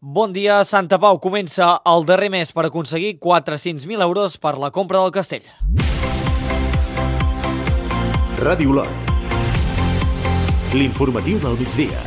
Bon dia, Santa Pau comença el darrer mes per aconseguir 400.000 euros per la compra del castell. Ràdio Lot. L'informatiu del migdia.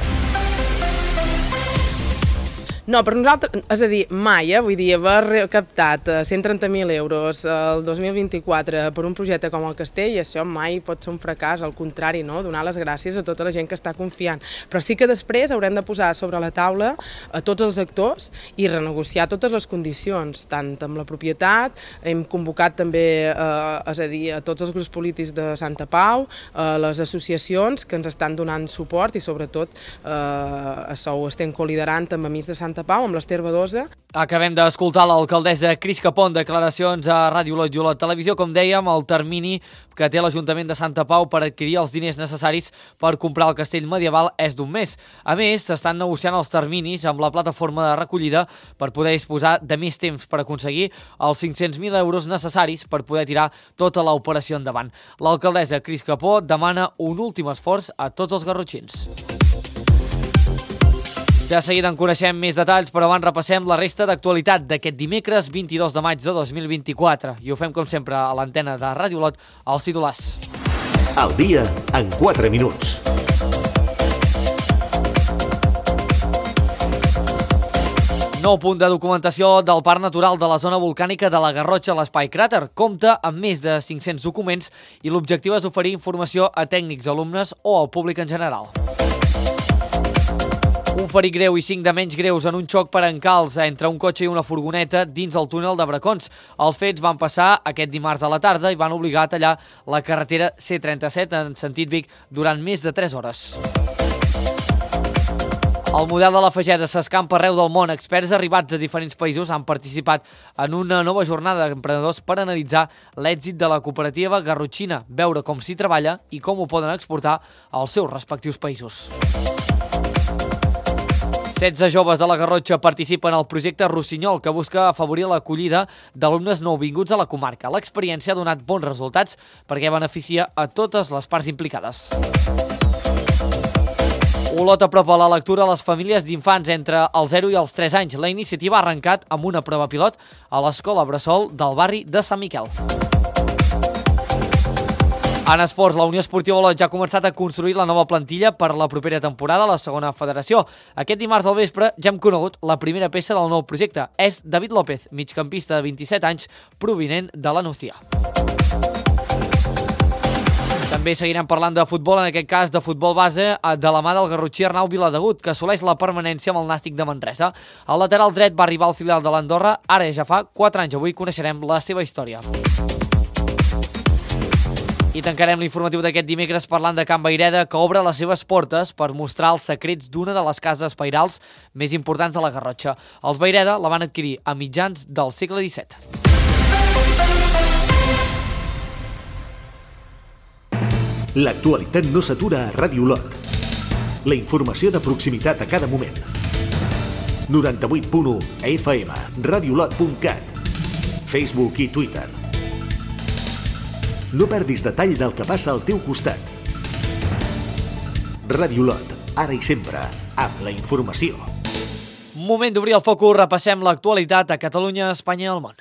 No, per nosaltres, és a dir, mai, vull dir, haver recaptat 130.000 euros el 2024 per un projecte com el Castell, això mai pot ser un fracàs, al contrari, no? Donar les gràcies a tota la gent que està confiant. Però sí que després haurem de posar sobre la taula a tots els actors i renegociar totes les condicions, tant amb la propietat, hem convocat també, és a dir, a tots els grups polítics de Santa Pau, les associacions que ens estan donant suport i sobretot això ho estem coliderant amb Amics de Santa Pau, amb l'Ester Badosa. Acabem d'escoltar l'alcaldessa Cris Capó en declaracions a Ràdio Lot i Olot Televisió. Com dèiem, el termini que té l'Ajuntament de Santa Pau per adquirir els diners necessaris per comprar el castell medieval és d'1 mes. A més, s'estan negociant els terminis amb la plataforma de recollida per poder disposar de més temps per aconseguir els 500.000 euros necessaris per poder tirar tota l'operació endavant. L'alcaldessa Cris Capó demana un últim esforç a tots els garrotxins. De seguida en coneixem més detalls, però abans repassem la resta d'actualitat d'aquest dimecres 22 de maig de 2024. I ho fem, com sempre, a l'antena de Ràdio Lot, als titulars. El dia en 4 minuts. Nou punt de documentació del Parc Natural de la Zona Volcànica de la Garrotxa a l'Espai Cràter. Compta amb més de 500 documents i l'objectiu és oferir informació a tècnics, alumnes o al públic en general. Un ferit greu i 5 de menys greus en un xoc per encalç entre un cotxe i una furgoneta dins el túnel de Bracons. Els fets van passar aquest dimarts a la tarda i van obligar a tallar la carretera C37 en sentit Vic durant més de 3 hores. El model de la Fageda s'escampa arreu del món. Experts arribats de diferents països han participat en una nova jornada d'emprenedors per analitzar l'èxit de la cooperativa garrotxina, veure com s'hi treballa i com ho poden exportar als seus respectius països. 16 joves de la Garrotxa participen al projecte Rossinyol, que busca afavorir l'acollida d'alumnes nouvinguts a la comarca. L'experiència ha donat bons resultats perquè beneficia a totes les parts implicades. Olot apropa la lectura a les famílies d'infants entre els 0 i els 3 anys. La iniciativa ha arrencat amb una prova pilot a l'escola Bressol del barri de Sant Miquel. En esports, la Unió Esportiva Olot ja ha començat a construir la nova plantilla per la propera temporada a la segona federació. Aquest dimarts al vespre ja hem conegut la primera peça del nou projecte. És David López, migcampista de 27 anys, provinent de la Nucía. També seguirem parlant de futbol, en aquest cas de futbol base, de la mà del garrotxí Arnau Viladegut, que assoleix la permanència amb el Nàstic de Manresa. El lateral dret va arribar al filial de l'Andorra, ara ja fa 4 anys. Avui coneixerem la seva història. I tancarem l'informatiu d'aquest dimecres parlant de Can Vayreda, que obre les seves portes per mostrar els secrets d'una de les cases pairals més importants de la Garrotxa. Els Vayreda la van adquirir a mitjans del segle XVII. L'actualitat no s'atura a Ràdio Lot. La informació de proximitat a cada moment. 98.1 FM, radiolot.cat, Facebook i Twitter. No perdis detall del que passa al teu costat. Ràdio Lot, ara i sempre, amb la informació. Moment d'obrir el focus, repassem l'actualitat a Catalunya, Espanya i el món.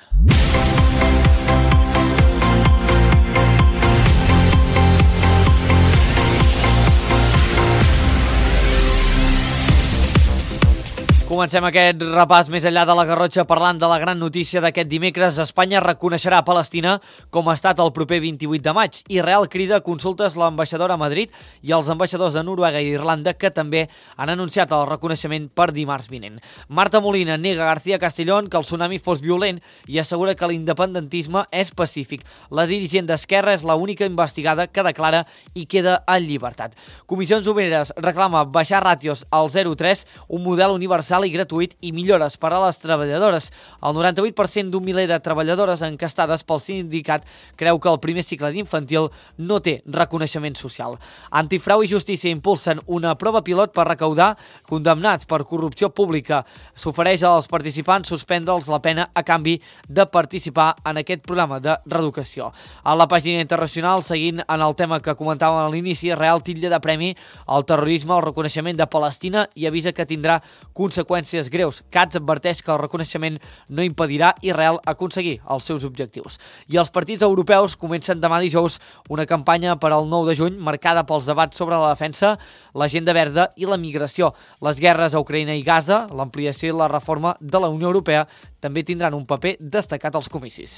Comencem aquest repàs més enllà de la Garrotxa parlant de la gran notícia d'aquest dimecres. Espanya reconeixerà Palestina com a estat el proper 28 de maig. Israel crida consultes l'ambaixadora a Madrid i els ambaixadors de Noruega i Irlanda, que també han anunciat el reconeixement per dimarts vinent. Marta Molina nega a García Castellón que el tsunami fos violent i assegura que l'independentisme és pacífic. La dirigent d'Esquerra és l'única investigada que declara i queda en llibertat. Comissions Obreres reclama baixar ràtios al 0,3, un model universal i gratuït i millores per a les treballadores. El 98% d'un miler de treballadores encastades pel sindicat creu que el primer cicle d'infantil no té reconeixement social. Antifrau i Justícia impulsen una prova pilot per recaudar condemnats per corrupció pública. S'ofereix als participants suspendre'ls la pena a canvi de participar en aquest programa de reeducació. A la pàgina internacional, seguint en el tema que comentàvem a l'inici, Israel titlla de premi al terrorisme, al reconeixement de Palestina i avisa que tindrà conseqüències conseqüències greus. Cats adverteix que el reconeixement no impedirà Israel aconseguir els seus objectius. I els partits europeus comencen demà dijous una campanya per al 9 de juny marcada pels debats sobre la defensa, l'agenda verda i la migració. Les guerres a Ucraïna i Gaza, l'ampliació i la reforma de la Unió Europea també tindran un paper destacat als comicis.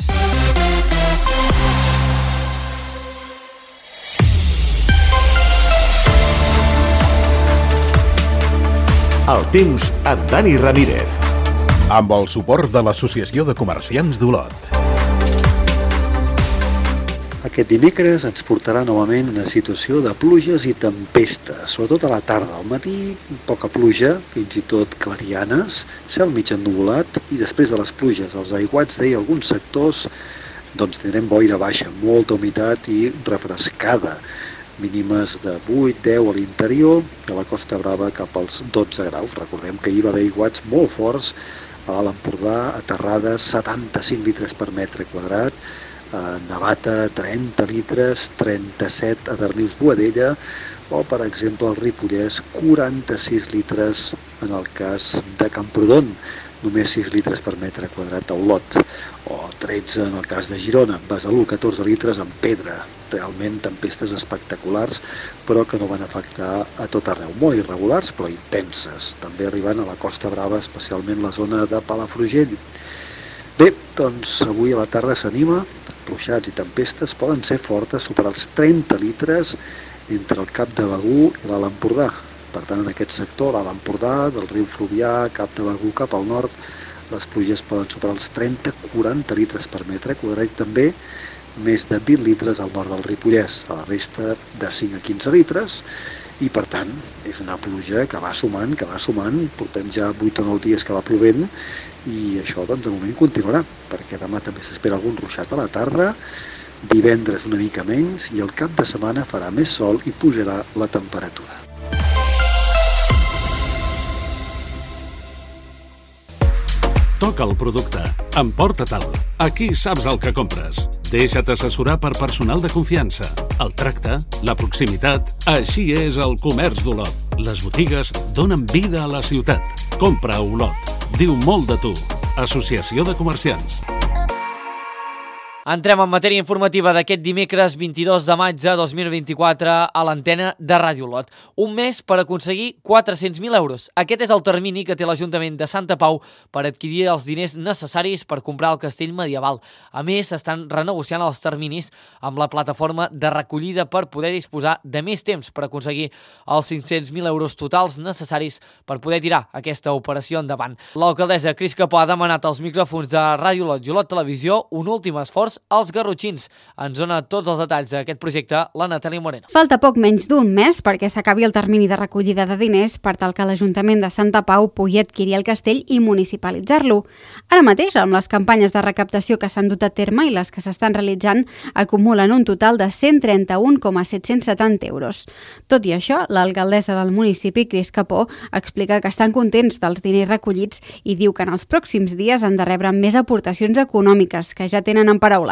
El temps amb Dani Ramírez. Amb el suport de l'Associació de Comerciants d'Olot. Aquest dimecres ens portarà novament una situació de pluges i tempestes, sobretot a la tarda. Al matí, poca pluja, fins i tot clarianes, cel mig ennuvolat, i després de les pluges, els aiguats d'ahir alguns sectors, doncs tindrem boira baixa, molta humitat i refrescada. Mínimes de 8-10 a l'interior, de la Costa Brava cap als 12 graus. Recordem que hi va haver aiguats molt forts a l'Alt Empordà, a Terrades, 75 litres per metre quadrat, a Navata 30 litres, 37 a Darnius Boadella, o per exemple al Ripollès 46 litres en el cas de Camprodon, només 6 litres per metre quadrat a Olot, o 13 en el cas de Girona, Besalú 14 litres en Pedra. Realment tempestes espectaculars, però que no van afectar a tot arreu. Molt irregulars, però intenses. També arribant a la Costa Brava, especialment la zona de Palafrugell. Bé, doncs avui a la tarda s'anima, ruixats i tempestes poden ser fortes, superar els 30 litres entre el Cap de Begur i l'Alt Empordà. Per tant, en aquest sector, l'Alt Empordà, del riu Fluvià, Cap de Begur cap al nord, les pluges poden superar els 30-40 litres per metre quadrat, també més de 20 litres al nord del Ripollès, a la resta de 5 a 15 litres, i per tant és una pluja que va sumant, portem ja 8 o 9 dies que va plovent, i això doncs de moment continuarà, perquè demà també s'espera algun ruixat a la tarda, divendres una mica menys, i el cap de setmana farà més sol i pujarà la temperatura. Toca el producte, emporta-te'l. Aquí saps el que compres. Deixa't assessorar per personal de confiança. El tracte, la proximitat, així és el comerç d'Olot. Les botigues donen vida a la ciutat. Compra a Olot. Diu molt de tu. Associació de Comerciants. Entrem en matèria informativa d'aquest dimecres 22 de maig de 2024 a l'antena de Ràdio Olot. Un mes per aconseguir 400.000 euros. Aquest és el termini que té l'Ajuntament de Santa Pau per adquirir els diners necessaris per comprar el castell medieval. A més, estan renegociant els terminis amb la plataforma de recollida per poder disposar de més temps per aconseguir els 500.000 euros totals necessaris per poder tirar aquesta operació endavant. L'alcaldessa Cris Capó ha demanat als micròfons de Ràdio Olot i Olot Televisió un últim esforç als garrotxins. Ens dona tots els detalls d'aquest projecte la Natàlia Moreno. Falta poc menys d'un mes perquè s'acabi el termini de recollida de diners per tal que l'Ajuntament de Santa Pau pugui adquirir el castell i municipalitzar-lo. Ara mateix, amb les campanyes de recaptació que s'han dut a terme i les que s'estan realitzant, acumulen un total de 131,770 euros. Tot i això, l'alcaldessa del municipi, Cris Capó, explica que estan contents dels diners recollits i diu que en els pròxims dies han de rebre més aportacions econòmiques que ja tenen en paraulades.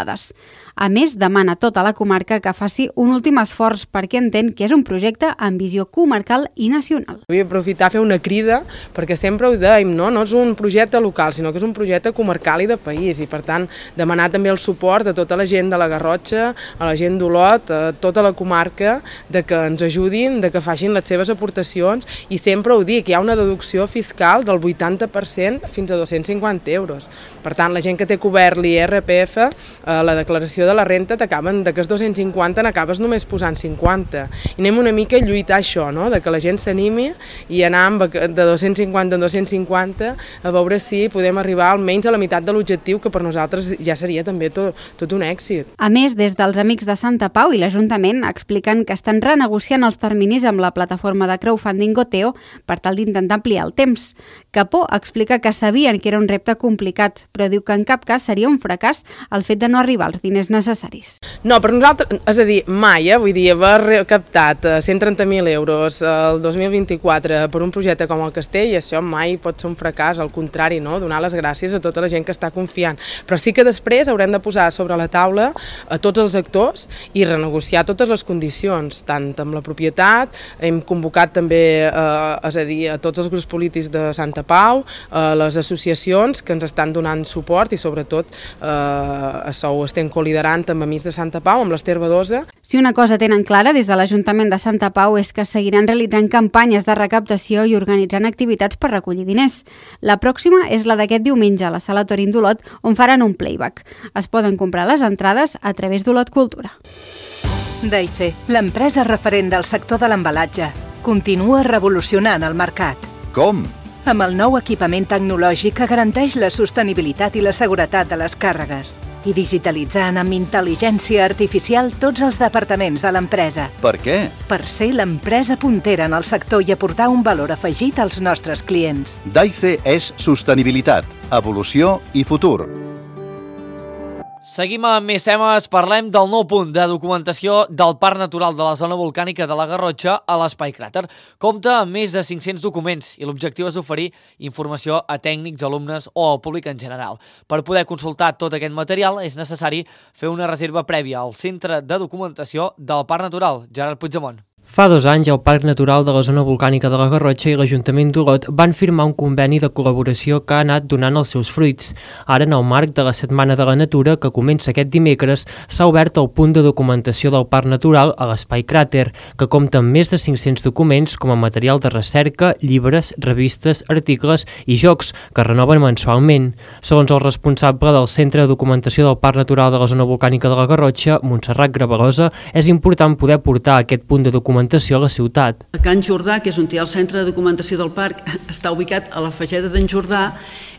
A més, demana a tota la comarca que faci un últim esforç perquè entén que és un projecte amb visió comarcal i nacional. Vull aprofitar a fer una crida perquè sempre ho dèiem, no és un projecte local, sinó que és un projecte comarcal i de país, i per tant demanar també el suport a tota la gent de la Garrotxa, a la gent d'Olot, a tota la comarca, de que ens ajudin, de que facin les seves aportacions, i sempre ho dic, hi ha una deducció fiscal del 80% fins a 250 euros. Per tant, la gent que té cobert l'IRPF, la declaració de la renta t'acaben d'aquests 250 n'acabes només posant 50. I anem una mica a lluitar això, no? De que la gent s'animi i anar de 250 en 250 a veure si podem arribar almenys a la meitat de l'objectiu, que per nosaltres ja seria també tot un èxit. A més, des dels Amics de Santa Pau i l'Ajuntament expliquen que estan renegociant els terminis amb la plataforma de crowdfunding Goteo per tal d'intentar ampliar el temps. Capó explica que sabien que era un repte complicat, però diu que en cap cas seria un fracàs el fet de no arribar als diners necessaris. No, per nosaltres, és a dir, mai, vull dir, haver captat 130.000 euros el 2024 per un projecte com el Castell, això mai pot ser un fracàs, al contrari, no? Donar les gràcies a tota la gent que està confiant. Però sí que després haurem de posar sobre la taula a tots els actors i renegociar totes les condicions, tant amb la propietat, hem convocat també, és a dir, a tots els grups polítics de Santa Pau, les associacions que ens estan donant suport i sobretot això ho estem coliderant amb Amics de Santa Pau, amb l'Ester Badosa. Si una cosa tenen clara des de l'Ajuntament de Santa Pau és que seguiran realitzant campanyes de recaptació i organitzant activitats per recollir diners. La pròxima és la d'aquest diumenge a la Sala Torín d'Olot, on faran un playback. Es poden comprar les entrades a través d'Olot Cultura. Daife, l'empresa referent del sector de l'embalatge, continua revolucionant el mercat. Com? Amb el nou equipament tecnològic que garanteix la sostenibilitat i la seguretat de les càrregues i digitalitzant amb intel·ligència artificial tots els departaments de l'empresa. Per què? Per ser l'empresa puntera en el sector i aportar un valor afegit als nostres clients. Daife és sostenibilitat, evolució i futur. Seguim amb més temes. Parlem del nou punt de documentació del Parc Natural de la Zona Volcànica de la Garrotxa a l'Espai Cràter. Compta amb més de 500 documents i l'objectiu és oferir informació a tècnics, alumnes o al públic en general. Per poder consultar tot aquest material és necessari fer una reserva prèvia al Centre de Documentació del Parc Natural. Gerard Puigdemont. Fa 2 anys, el Parc Natural de la Zona Volcànica de la Garrotxa i l'Ajuntament d'Olot van firmar un conveni de col·laboració que ha anat donant els seus fruits. Ara, en el marc de la Setmana de la Natura, que comença aquest dimecres, s'ha obert el punt de documentació del Parc Natural a l'Espai Cràter, que compta amb més de 500 documents com a material de recerca, llibres, revistes, articles i jocs, que renoven mensualment. Segons el responsable del Centre de Documentació del Parc Natural de la Zona Volcànica de la Garrotxa, Montserrat Gravarosa, és important poder portar aquest punt de documentació a la ciutat. A Can Jordà, que és on hi ha el centre de documentació del parc, està ubicat a la Fageda d'en Jordà,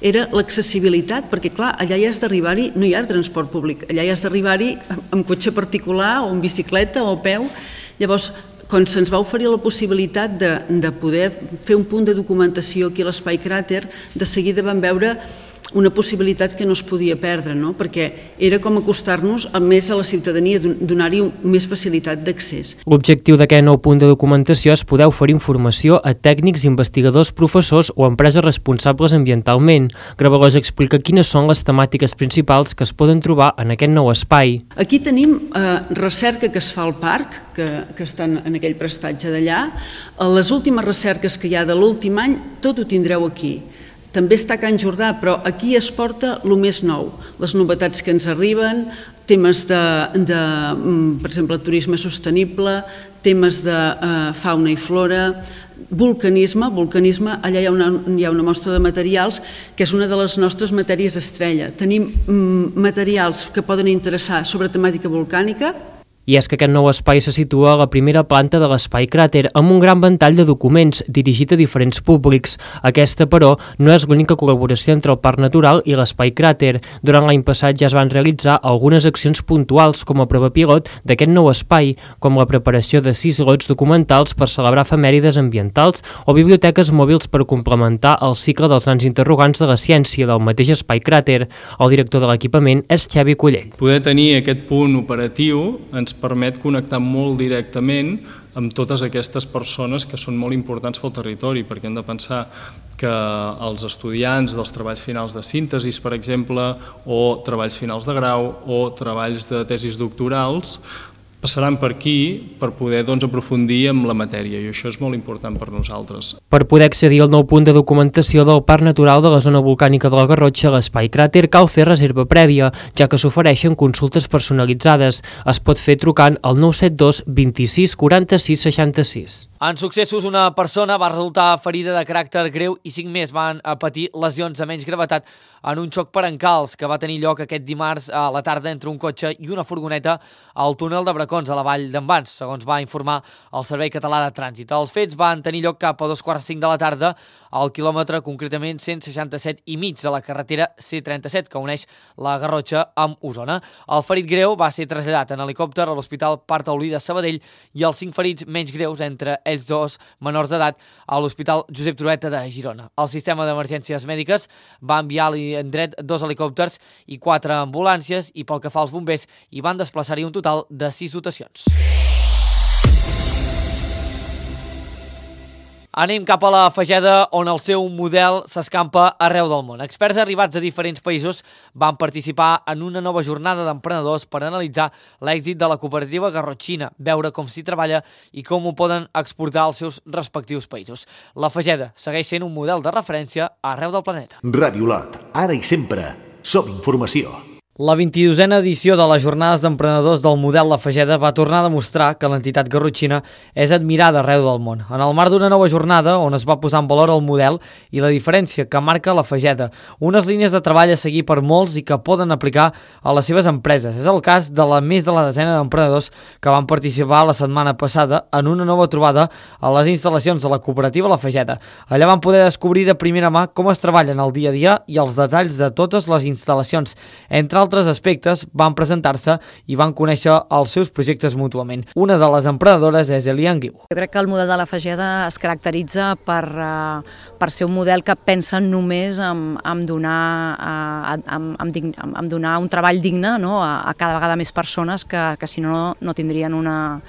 era l'accessibilitat, perquè clar, allà hi has d'arribar-hi, no hi ha transport públic, allà hi has d'arribar-hi amb cotxe particular o amb bicicleta o a peu. Llavors, quan se'ns va oferir la possibilitat de poder fer un punt de documentació aquí a l'Espai Cràter, de seguida vam veure una possibilitat que no es podia perdre, no? Perquè era com acostar-nos més a la ciutadania, donar-hi més facilitat d'accés. L'objectiu d'aquest nou punt de documentació és poder oferir informació a tècnics, investigadors, professors o empreses responsables ambientalment. Gravarosa explica quines són les temàtiques principals que es poden trobar en aquest nou espai. Aquí tenim recerca que es fa al parc, que estan en aquell prestatge d'allà. Les últimes recerques que hi ha de l'últim any, tot ho tindreu aquí. També està a Can Jordà, però aquí es porta el més nou, les novetats que ens arriben, temes per exemple, turisme sostenible, temes de fauna i flora, vulcanisme, allà hi ha una mostra de materials que és una de les nostres matèries estrella. Tenim materials que poden interessar sobre temàtica volcànica. I és que aquest nou espai se situa a la primera planta de l'Espai Cràter, amb un gran ventall de documents dirigit a diferents públics. Aquesta, però, no és l'única col·laboració entre el Parc Natural i l'Espai Cràter. Durant l'any passat ja es van realitzar algunes accions puntuals com a prova pilot d'aquest nou espai, com la preparació de 6 lots documentals per celebrar efemèrides ambientals o biblioteques mòbils per complementar el cicle dels nans interrogants de la ciència del mateix Espai Cràter. El director de l'equipament és Xavi Collell. Poder tenir aquest punt operatiu ens permet connectar molt directament amb totes aquestes persones que són molt importants pel territori, perquè hem de pensar que els estudiants dels treballs finals de síntesi, per exemple, o treballs finals de grau o treballs de tesis doctorals, passaran per aquí per poder aprofundir en la matèria, i això és molt important per nosaltres. Per poder accedir al nou punt de documentació del Parc Natural de la Zona Volcànica de la Garrotxa a l'Espai Cràter cal fer reserva prèvia, ja que s'ofereixen consultes personalitzades. Es pot fer trucant al 972 26 46 66. En successos, una persona va resultar ferida de caràcter greu i 5 més van patir lesions de menys gravetat en un xoc per encalç que va tenir lloc aquest dimarts a la tarda entre un cotxe i una furgoneta al túnel de Bracons, a la vall d'en Bans, segons va informar el Servei Català de Trànsit. Els fets van tenir lloc cap a 2:45 de la tarda al quilòmetre concretament 167 i mig de la carretera C37 que uneix la Garrotxa amb Osona. El ferit greu va ser traslladat en helicòpter a l'Hospital Parc Taulí de Sabadell i els 5 ferits menys greus, entre ells 2 menors d'edat, a l'Hospital Josep Trueta de Girona. El sistema d'emergències mèdiques va enviar en dret 2 helicòpters i 4 ambulàncies i pel que fa als bombers hi van desplaçar-hi un total de 6 dotacions. Anem cap a la Fageda, on el seu model s'escampa arreu del món. Experts arribats a diferents països van participar en una nova jornada d'emprenedors per analitzar l'èxit de la cooperativa garrotxina, veure com s'hi treballa i com ho poden exportar als seus respectius països. La Fageda segueix sent un model de referència arreu del planeta. Ràdio Lot, ara i sempre, som informació. La 22a edició de les Jornades d'Emprenedors del Model La Fageda va tornar a demostrar que l'entitat garrotxina és admirada arreu del món. En el marc d'una nova jornada on es va posar en valor el model i la diferència que marca La Fageda, unes línies de treball a seguir per molts i que poden aplicar a les seves empreses. És el cas de més de la desena d'emprenedors que van participar la setmana passada en una nova trobada a les instal·lacions de la cooperativa La Fageda. Allà van poder descobrir de primera mà com es treballen el dia a dia i els detalls de totes les instal·lacions. Entre altres aspectes, van presentar-se i van conèixer els seus projectes mútuament. Una de les emprenedores és Elian Guiu. Jo crec que el model de La Fageda es caracteritza per ser un model que pensa només en donar un treball digne, no? a cada vegada més persones que si no tindrien una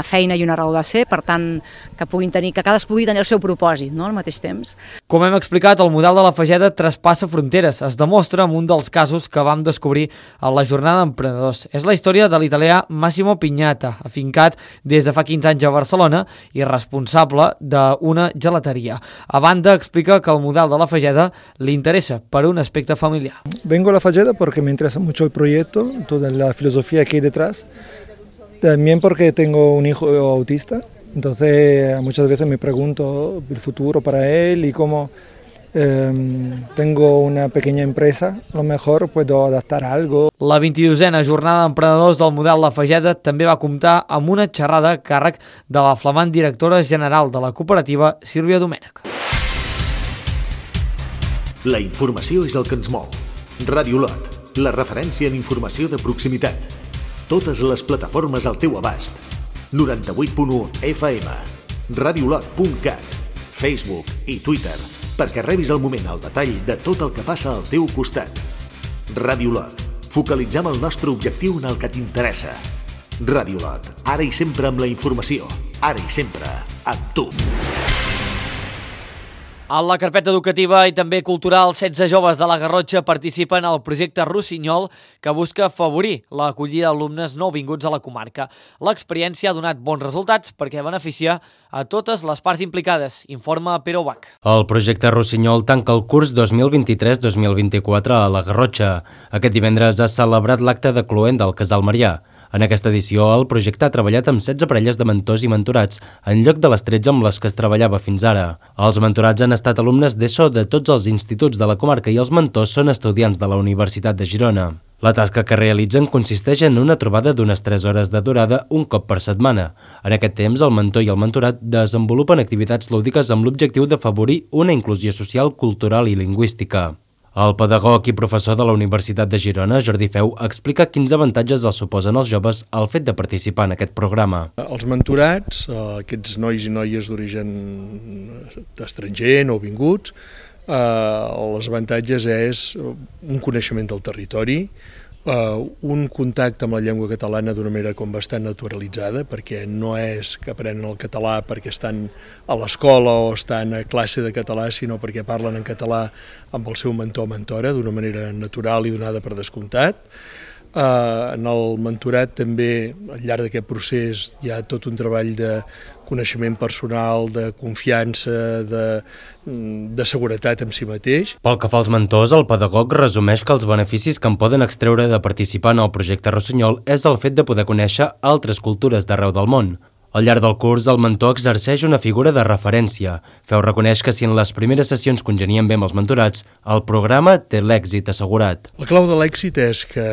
feina i una raó de ser, per tant, que cadascú pugui tenir el seu propòsit, no? Al mateix temps. Com hem explicat, el model de La Fageda traspassa fronteres. Es demostra en un dels casos que vam descobrir a la jornada d'emprenedors. És la història de l'italià Massimo Pignata, afincat des de fa 15 anys a Barcelona i responsable d'una gelateria. A banda, explica que el model de La Fageda li interessa per un aspecte familiar. Vengo a La Fageda porque me interesa mucho el proyecto, toda la filosofía que hay detrás. También porque tengo un hijo autista, entonces muchas veces me pregunto el futuro para él y cómo tengo una pequeña empresa, a lo mejor puedo adaptar algo. La 22a jornada d'emprenedors del model La Fageda també va comptar amb una xerrada a càrrec de la flamant directora general de la cooperativa, Sílvia Domènech. La informació és el que ens mou. Ràdio Lot, la referència en informació de proximitat. Totes les plataformes al teu abast. 98.1 FM, radiolot.cat, Facebook i Twitter, perquè rebis al moment el detall de tot el que passa al teu costat. Ràdio Lot, focalitzem el nostre objectiu en el que t'interessa. Ràdio Lot, ara i sempre amb la informació, ara i sempre amb tu. A la carpeta educativa i també cultural, 16 joves de la Garrotxa participen al projecte Rossinyol, que busca afavorir l'acollida d'alumnes nouvinguts a la comarca. L'experiència ha donat bons resultats perquè beneficia a totes les parts implicades, informa Pere Ubach. El projecte Rossinyol tanca el curs 2023-2024 a la Garrotxa. Aquest divendres ha celebrat l'acte de cloent del Casal Marià. En aquesta edició, el projecte ha treballat amb 16 parelles de mentors i mentorats, en lloc de les 13 amb les que es treballava fins ara. Els mentorats han estat alumnes d'ESO de tots els instituts de la comarca i els mentors són estudiants de la Universitat de Girona. La tasca que realitzen consisteix en una trobada d'unes 3 hores de durada un cop per setmana. En aquest temps, el mentor i el mentorat desenvolupen activitats lúdiques amb l'objectiu d'afavorir una inclusió social, cultural i lingüística. El pedagog i professor de la Universitat de Girona, Jordi Feu, explica quins avantatges els suposen als joves el fet de participar en aquest programa. Els mentorats, aquests nois i noies d'origen estranger, nouvinguts, els avantatges és un coneixement del territori, un contacte amb la llengua catalana d'una manera com bastant naturalitzada, perquè no és que aprenen el català perquè estan a l'escola o estan a classe de català, sinó perquè parlen en català amb el seu mentor o mentora d'una manera natural i donada per descomptat. En el mentorat també, al llarg d'aquest procés, hi ha tot un treball de coneixement personal, de confiança, de seguretat en si mateix. Pel que fa als mentors, el pedagog resumeix que els beneficis que en poden extreure de participar en el projecte Rossinyol és el fet de poder conèixer altres cultures d'arreu del món. Al llarg del curs, el mentor exerceix una figura de referència. Feu reconeix que si en les primeres sessions congenien bé amb els mentorats, el programa té l'èxit assegurat. La clau de l'èxit és que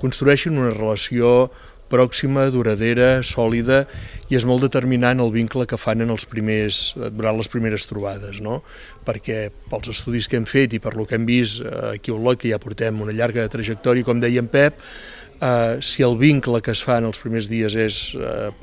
construeixin una relació pròxima, duradera, sòlida, i és molt determinant el vincle que fan durant les primeres trobades, no? Perquè pels estudis que hem fet i per lo que hem vist aquí a Olot, que ja portem una llarga trajectòria, com deia en Pep, si el vincle que es fa en els primers dies és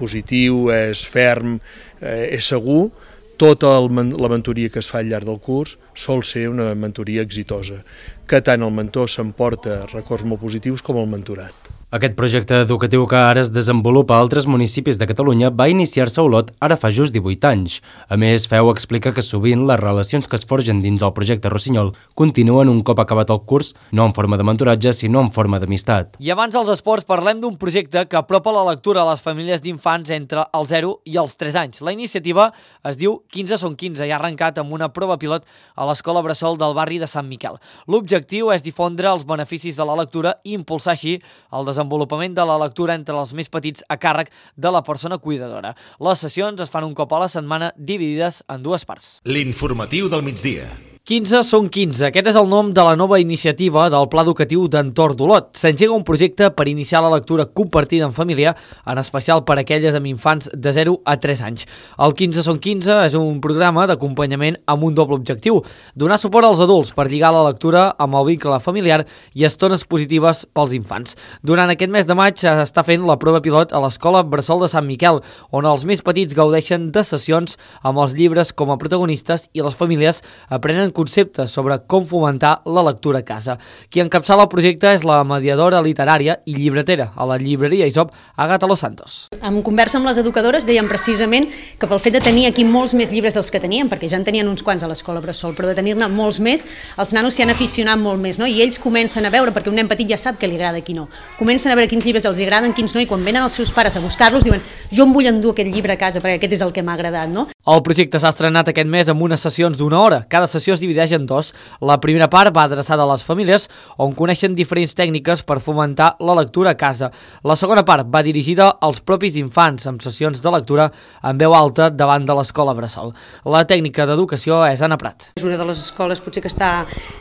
positiu, és ferm, és segur, tota la mentoria que es fa al llarg del curs sol ser una mentoria exitosa, que tant el mentor s'emporta records molt positius com el mentorat. Aquest projecte educatiu que ara es desenvolupa a altres municipis de Catalunya va iniciar-se a Olot ara fa just 18 anys. A més, Feu explica que sovint les relacions que es forgen dins el projecte Rossinyol continuen un cop acabat el curs, no en forma de mentoratge, sinó en forma d'amistat. I abans dels esports parlem d'un projecte que apropa la lectura a les famílies d'infants entre els 0 i els 3 anys. La iniciativa es diu 15 són 15 i ha arrencat amb una prova pilot a l'Escola Bressol del barri de Sant Miquel. L'objectiu és difondre els beneficis de la lectura i impulsar així el desenvolupament de la lectura entre els més petits a càrrec de la persona cuidadora. Les sessions es fan un cop a la setmana dividides en 2 parts. L'informatiu del migdia. 15 són 15. Aquest és el nom de la nova iniciativa del Pla Educatiu d'Entorn d'Olot. S'engega un projecte per iniciar la lectura compartida en família, en especial per aquelles amb infants de 0 a 3 anys. El 15 són 15 és un programa d'acompanyament amb un doble objectiu: donar suport als adults per lligar la lectura amb el vincle familiar i estones positives pels infants. Durant aquest mes de maig s'està fent la prova pilot a l'Escola Bressol de Sant Miquel, on els més petits gaudeixen de sessions amb els llibres com a protagonistes i les famílies aprenen conceptes sobre com fomentar la lectura a casa. Qui encapçala el projecte és la mediadora literària i llibretera a la llibreria Isop, Àgata Los Santos. En conversa amb les educadores dèiem precisament que pel fet de tenir aquí molts més llibres dels que teníem, perquè ja en tenien uns quants a l'Escola Bressol, però de tenir-ne molts més, els nanos s'hi han aficionat molt més, no? I ells comencen a veure, perquè un nen petit ja sap què li agrada i qui no, comencen a veure quins llibres els agraden, quins no, i quan venen els seus pares a buscar-los diuen: jo em vull endur aquest llibre a casa perquè aquest és el que m'ha agradat, no? El projecte s'ha estrenat aquest mes amb unes sessions d'1 hora. Cada sessió es divideix en 2. La primera part va adreçada a les famílies, on coneixen diferents tècniques per fomentar la lectura a casa. La segona part va dirigida als propis infants, amb sessions de lectura en veu alta davant de l'Escola Bressol. La tècnica d'educació és Anna Prat. És una de les escoles potser que està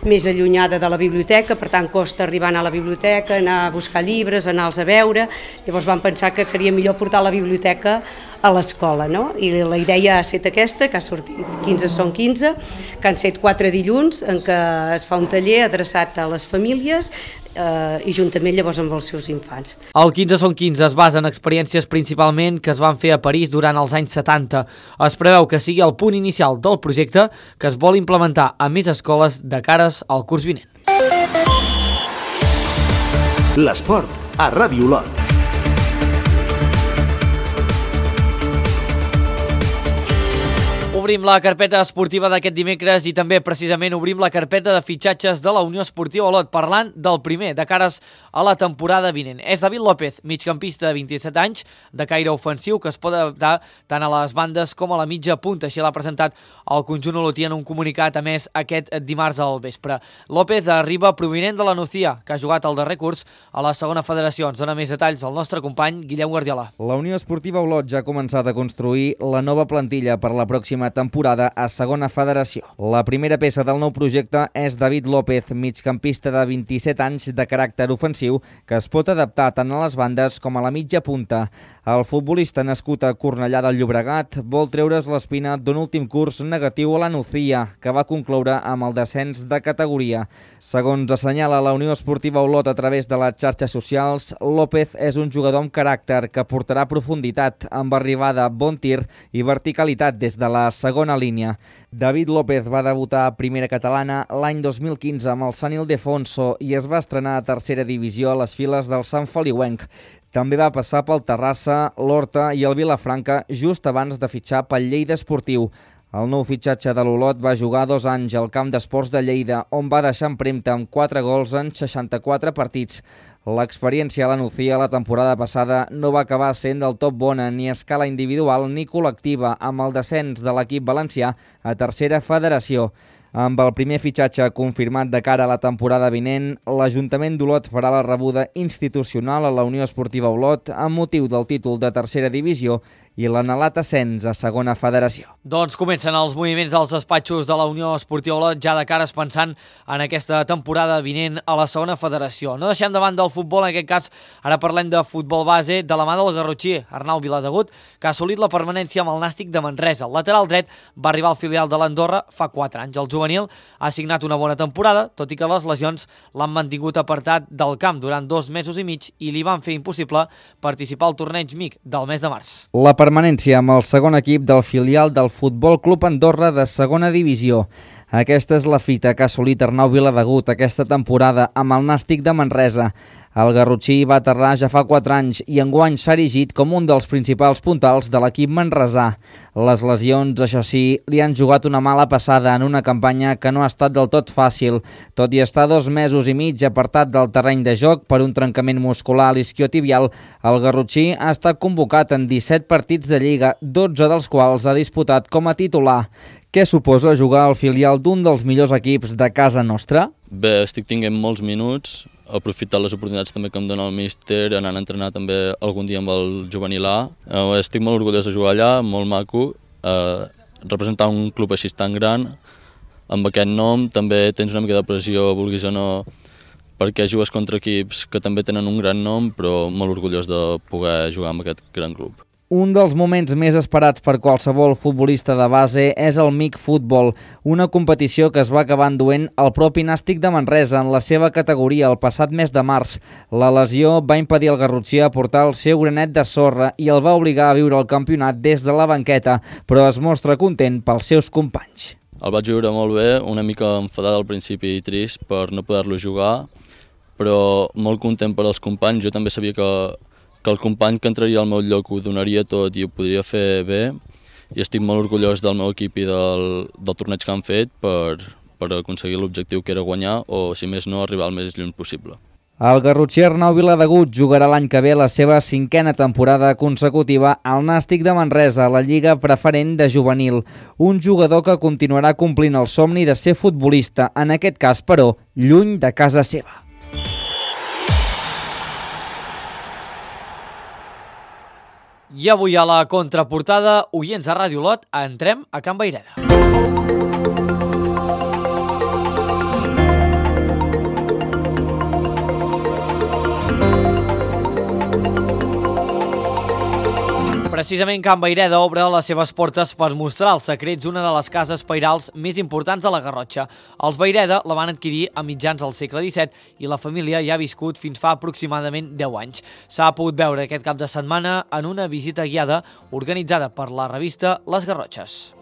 més allunyada de la biblioteca, per tant costa arribar a la biblioteca, anar a buscar llibres, anar-los a veure. Llavors vam pensar que seria millor portar la biblioteca a l'escola, no? I la idea ha estat aquesta, que ha sortit 15 són 15, que han set 4 dilluns en què es fa un taller adreçat a les famílies i juntament llavors amb els seus infants. El 15 són 15 es basa en experiències principalment que es van fer a París durant els anys 70. Es preveu que sigui el punt inicial del projecte que es vol implementar a més escoles de cares al curs vinent. L'esport a Ràdio Olot. Obrim la carpeta esportiva d'aquest dimecres i també precisament obrim la carpeta de fitxatges de la Unió Esportiva Olot, parlant del primer de cares a la temporada vinent. És David López, migcampista de 27 anys, de caire ofensiu, que es pot adaptar tant a les bandes com a la mitja punta. Així l'ha presentat el conjunt olotí en un comunicat a més aquest dimarts al vespre. López arriba provinent de la Nucía, que ha jugat el darrer curs a la segona federació. Ens dona més detalls el nostre company Guillem Guardiola. La Unió Esportiva Olot ja ha començat a construir la nova plantilla per la pròxima temporada a segona federació. La primera peça del nou projecte és David López, migcampista de 27 anys de caràcter ofensiu, que es pot adaptar tant a les bandes com a la mitja punta. El futbolista nascut a Cornellà del Llobregat vol treure's l'espina d'un últim curs negatiu a la Nucía, que va concloure amb el descens de categoria. Segons assenyala la Unió Esportiva Olot a través de les xarxes socials, López és un jugador amb caràcter que portarà profunditat, amb arribada, bon tir i verticalitat des de la segona línia. David López va debutar a primera catalana l'any 2015 amb el Sant Ildefonso i es va estrenar a tercera divisió a les files del Sant Feliuenc. També va passar pel Terrassa, l'Horta i el Vilafranca just abans de fitxar pel Lleida Esportiu. El nou fitxatge de l'Olot va jugar 2 anys al camp d'esports de Lleida, on va deixar empremta amb 4 gols en 64 partits. L'experiència a la Nucía la temporada passada no va acabar sent del tot bona ni a escala individual ni col·lectiva, amb el descens de l'equip valencià a tercera federació. Amb el primer fitxatge confirmat de cara a la temporada vinent, l'Ajuntament d'Olot farà la rebuda institucional a la Unió Esportiva Olot amb motiu del títol de tercera divisió i l'anhelat ascens a segona federació. Doncs comencen els moviments als despatxos de la Unió Esportiva Olot ja de cares pensant en aquesta temporada vinent a la segona federació. No deixem de banda del futbol, en aquest cas ara parlem de futbol base de la mà del garrotxí Arnau Viladegut, que ha assolit la permanència amb el Nàstic de Manresa. El lateral dret va arribar al filial de l'Andorra fa 4 anys. El juvenil ha signat una bona temporada, tot i que les lesions l'han mantingut apartat del camp durant 2 mesos i mig i li van fer impossible participar al torneig MIC del mes de març. La permanència amb el segon equip del filial del Futbol Club Andorra de segona divisió. Aquesta és la fita que ha assolit Arnau Viladegut aquesta temporada amb el Nàstic de Manresa. El garrotxí va aterrar ja fa 4 anys i enguany s'ha erigit com un dels principals puntals de l'equip manresà. Les lesions, això sí, li han jugat una mala passada en una campanya que no ha estat del tot fàcil. Tot i estar 2 mesos i mig apartat del terreny de joc per un trencament muscular a l'isquiotibial, el garrotxí ha estat convocat en 17 partits de Lliga, 12 dels quals ha disputat com a titular. Què suposa jugar al filial d'un dels millors equips de casa nostra? Bé, estic tinguent molts minuts, aprofitar les oportunitats també que em dona el míster, anant a entrenar també algun dia amb el juvenil A. Estic molt orgullós de jugar allà, molt maco. Representar un club així tan gran, amb aquest nom, també tens una mica de pressió, vulguis o no, perquè jugues contra equips que també tenen un gran nom, però molt orgullós de poder jugar amb aquest gran club. Un dels moments més esperats per qualsevol futbolista de base és el MIC Futbol, una competició que es va acabar enduent el propi Nàstic de Manresa en la seva categoria el passat mes de març. La lesió va impedir al garrotxí aportar el seu granet de sorra i el va obligar a viure el campionat des de la banqueta, però es mostra content pels seus companys. El vaig viure molt bé, una mica enfadat al principi i trist per no poder-lo jugar, però molt content per als companys. Jo també sabia que el company que entraria al meu lloc ho donaria tot i ho podria fer bé, i estic molt orgullós del meu equip i del torneig que han fet per aconseguir l'objectiu que era guanyar o, si més no, arribar al més lluny possible. El garrotxí Arnau Viladegut jugarà l'any que ve la seva 5a temporada consecutiva al Nàstic de Manresa, a la Lliga Preferent de Juvenil. Un jugador que continuarà complint el somni de ser futbolista, en aquest cas, però, lluny de casa seva. I avui a la contraportada, oients de Ràdio Lot, entrem a Can Vayreda. Precisament Can Vayreda obre les seves portes per mostrar els secrets d'una de les cases pairals més importants de la Garrotxa. Els Vayreda la van adquirir a mitjans del segle XVII i la família hi ha viscut fins fa aproximadament 10 anys. S'ha pogut veure aquest cap de setmana en una visita guiada organitzada per la revista Les Garrotxes.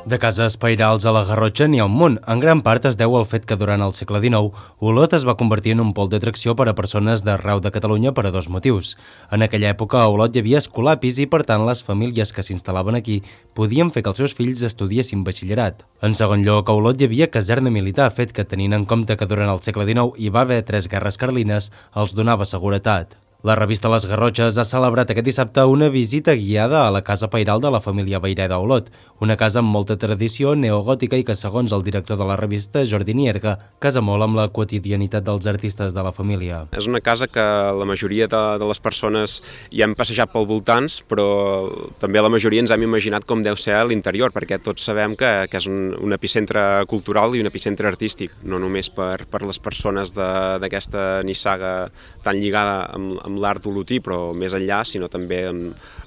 De cases pairals a la Garrotxa n'hi ha un munt. En gran part es deu al fet que durant el segle XIX Olot es va convertir en un pol d'atracció per a persones d'arreu de Catalunya per a 2 motius. En aquella època a Olot hi havia escolapis i per tant les famílies que s'instal·laven aquí podien fer que els seus fills estudiessin batxillerat. En segon lloc, a Olot hi havia caserna militar, fet que tenint en compte que durant el segle XIX hi va haver 3 guerres carlines, els donava seguretat. La revista Les Garrotxes ha celebrat aquest dissabte una visita guiada a la casa pairal de la família Vayreda a Olot, una casa amb molta tradició neogòtica i que, segons el director de la revista, Jordi Nierga, casa molt amb la quotidianitat dels artistes de la família. És una casa que la majoria de les persones hi hem passejat pel voltants, però també la majoria ens hem imaginat com deu ser a l'interior, perquè tots sabem que és un epicentre cultural i un epicentre artístic, no només per les persones d'aquesta nissaga tan lligada amb l'art olotí, però més enllà, sinó també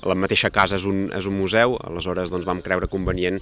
la mateixa casa és un museu, aleshores doncs, vam creure convenient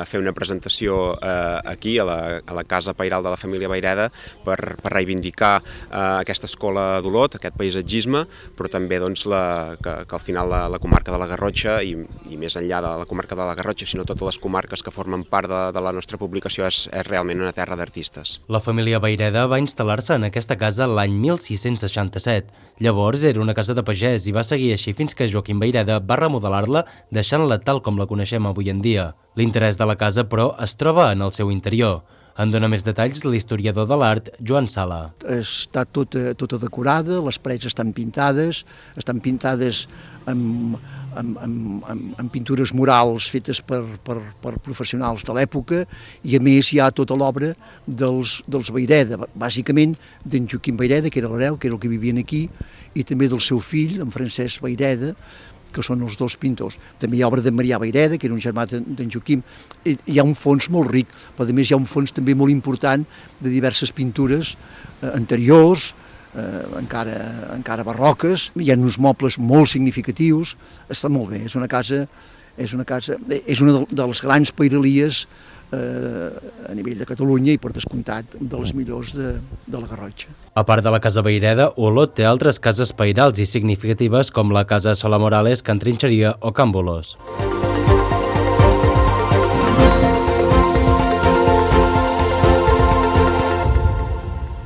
fer una presentació aquí, a la casa pairal de la família Vayreda, per reivindicar aquesta escola d'Olot, aquest paisatgisme, però també doncs, que al final la comarca de la Garrotxa, i més enllà de la comarca de la Garrotxa, sinó totes les comarques que formen part de la nostra publicació, és realment una terra d'artistes. La família Vayreda va instal·lar-se en aquesta casa l'any 1667. Llavors era una casa de pagès i va seguir així fins que Joaquim Vayreda va remodelar-la, deixant-la tal com la coneixem avui en dia. L'interès de la casa, però, es troba en el seu interior. En dona més detalls l'historiador de l'art, Joan Sala. Està tota decorada, les parets estan pintades amb pintures murals fetes per professionals de l'època, i a més hi ha tota l'obra dels Vayreda, bàsicament d'en Joaquim Vayreda, que era l'hereu, que era el que vivien aquí, i també del seu fill, en Francesc Vayreda, que són els 2 pintors. També hi ha obra de Marià Vayreda, que era un germà d'en Joaquim. Hi ha un fons molt ric, però a més hi ha un fons també molt important de diverses pintures anteriors, encara barroques. Hi ha uns mobles molt significatius. Està molt bé, és una de les grans pairalies a nivell de Catalunya i, per descomptat, de les millors de la Garrotxa. A part de la casa Vayreda, Olot té altres cases pairals i significatives com la casa Sola Morales, Can Trinxeria o Can Bolós.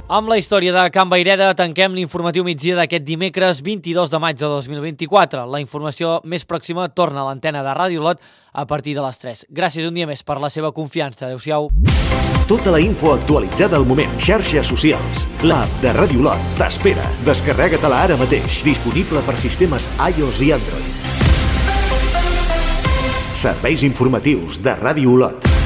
Amb la història de Can Vayreda tanquem l'informatiu migdia d'aquest dimecres 22 de maig de 2024. La informació més pròxima torna a l'antena de Ràdio Lot a partir de les 3. Gràcies un dia més per la seva confiança. Adéu-siau. Tota la info actualitzada al moment. Xarxes socials. L'app de Ràdio Lot t'espera. Descarrega-te-la ara mateix. Disponible per sistemes iOS i Android. Serveis informatius de Ràdio Lot.